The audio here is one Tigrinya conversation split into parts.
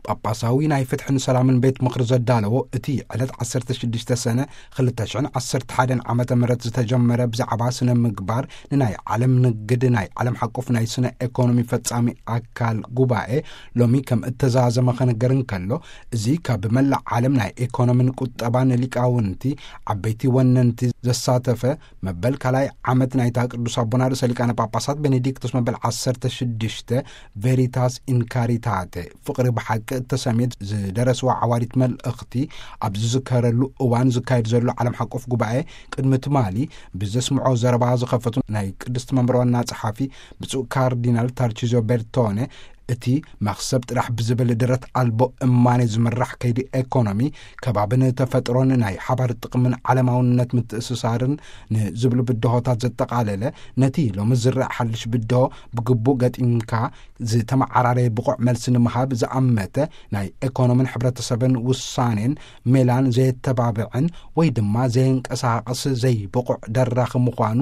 ጳጳሳዊ ናይ ፍትሕን ሰላምን ቤት ምኽሪ ዘዳለዎ እቲ ዕለት ዓሰርተ ሽዱሽተ ሰነ ክልተ ሽሕን ዓሰርተ ሓደን ዓመተ ምህረት ዝተጀመረ ብዛዕባ ስነ ምግባር ንናይ ዓለም ንግድ ናይ ዓለም ሓቆፍ ናይ ስነ ኤኮኖሚ ፈጻሚ ኣካል ጉባኤ ሎሚ ከም እተዛዘመ ክንገር እንከሎ፣ እዚ ካብ መላእ ዓለም ናይ ኤኮኖምን ቁጠባን ሊቃውንቲ ዓበይቲ ወነንቲ ዘሳተፈ መበል ካልኣይ ዓመት ናይታ ቅዱስ ኣቦና ርእሰ ሊቃነ ጳጳሳት ቤኔዲክቶስ መበል ዓሰርተ ሽዱሽተ ቬሪታስ ኢንካሪታተ ፍቕሪ ብሓቂ እተሰምየት ዝደረስዋ ዓዋዲት መልእኽቲ ኣብ ዝዝከረሉ እዋን ዝካየድ ዘሎ ዓለም ሓቆፍ ጉባኤ ቅድሚ ትማሊ ብዘስምዖ ዘረባ ዝኸፈቱ ናይ ቅድስቲ መንበር ዋና ጸሓፊ ብፁዕ ካርዲናል ታርቺዞ ቤርቶነ እቲ መኽሰብ ጥራሕ ብዝብል ደረት ኣልቦ እማኔ ዝምራሕ ከይዲ ኤኮኖሚ ከባብን ተፈጥሮን ናይ ሓባር ጥቕምን ዓለማውነት ምትእስሳርን ንዝብሉ ብድሆታት ዘጠቓለለ ነቲ ሎሚ ዝረአ ሓድሽ ብድሆ ብግቡእ ገጢምካ ዝተመዓራረየ ብቑዕ መልሲ ንምሃብ ዝኣመተ ናይ ኤኮኖምን ሕብረተሰብን ውሳኔን ሜላን ዘየተባብዕን ወይ ድማ ዘየንቀሳቕስ ዘይብቑዕ ደራኺ ምዃኑ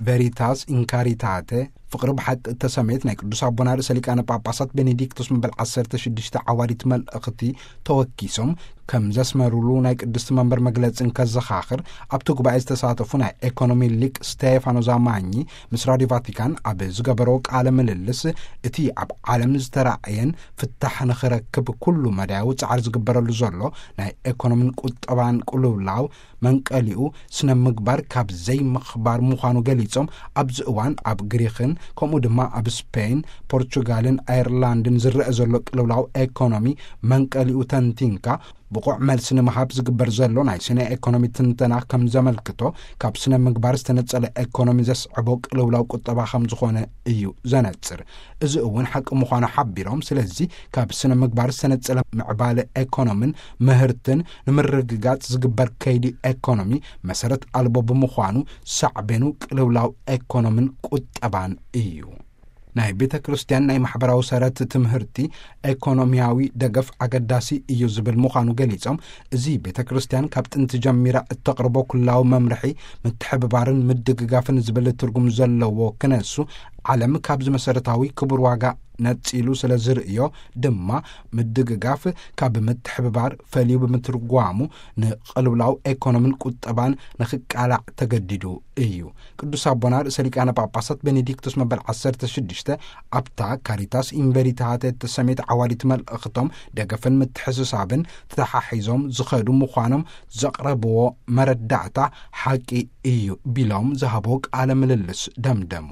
ቬሪታስ ኢንካሪታተ ፍቕሪ ብሓቂ እተሰመየት ናይ ቅዱስ ኣቦና ርእሰ ሊቃነ ጳጳሳት ቤኔዲክቶስ መበል ዓሰርተ ሽዱሽተ ዓዋዲት መልእኽቲ ተወኪሶም ከም ዘስመሩሉ ናይ ቅድስቲ መንበር መግለጺ እንከዘኻኽር፣ ኣብቲ ጉባኤ ዝተሳተፉ ናይ ኤኮኖሚ ሊቅ ስቴፋኖ ዛማኚ ምስ ራዲዮ ቫቲካን ኣብ ዝገበሮ ቃለ ምልልስ፣ እቲ ኣብ ዓለም ዝተራእየን ፍታሕ ንኽረክብ ኩሉ መዳያዊ ጻዕሪ ዝግበረሉ ዘሎ ናይ ኤኮኖሚን ቁጠባን ቅልውላው መንቀሊኡ ስነ ምግባር ካብ ዘይምኽባር ምዃኑ ገሊጾም፣ ኣብዚ እዋን ኣብ ግሪኽን ከምኡ ድማ ኣብ ስፔን፣ ፖርቹጋልን ኣየርላንድን ዝረአ ዘሎ ቅልውላው ኤኮኖሚ መንቀሊኡ ተንቲንካ ብቑዕ መልሲ ንምሃብ ዝግበር ዘሎ ናይ ስነ ኤኮኖሚ ትንተና ከም ዘመልክቶ፣ ካብ ስነ ምግባር ዝተነጸለ ኤኮኖሚ ዘስዕቦ ቅልውላው ቁጠባ ከም ዝኾነ እዩ ዘነጽር። እዚ እውን ሓቂ ምዃኑ ሓቢሮም፣ ስለዚ ካብ ስነ ምግባር ዝተነጸለ ምዕባለ ኤኮኖምን ምህርትን ንምርግጋጽ ዝግበር ከይዲ ኤኮኖሚ መሰረት ኣልቦ ብምዃኑ ሳዕቤኑ ቅልውላው ኤኮኖምን ቁጠባን እዩ። ናይ ቤተ ክርስቲያን ናይ ማሕበራዊ ሰረት ትምህርቲ ኤኮኖሚያዊ ደገፍ ኣገዳሲ እዩ ዝብል ምዃኑ ገሊጾም፣ እዚ ቤተ ክርስቲያን ካብ ጥንቲ ጀሚራ እተቕርቦ ኩላዊ መምርሒ ምትሕብባርን ምድግጋፍን ዝብል ትርጉም ዘለዎ ክነሱ፣ ዓለም ካብዚ መሰረታዊ ክቡር ዋጋ ነጺሉ ስለ ዝርእዮ ድማ ምድግጋፍ ካብ ምትሕብባር ፈልዩ ብምትርጓሙ ንቅልውላው ኤኮኖምን ቁጠባን ንኽቃላዕ ተገዲዱ እዩ። ቅዱስ ኣቦና ርእሰ ሊቃነ ጳጳሳት ቤኔዲክቶስ መበል ዓሰርተ ሽዱሽተ ኣብታ ካሪታስ ኢንቨሪታተ እተሰመየት ዓዋዲት መልእኽቶም ደገፍን ምትሕስሳብን ተተሓሒዞም ዝኸዱ ምዃኖም ዘቕረብዎ መረዳእታ ሓቂ እዩ ቢሎም ዝሃቦ ቃለ ምልልስ ደምደሙ።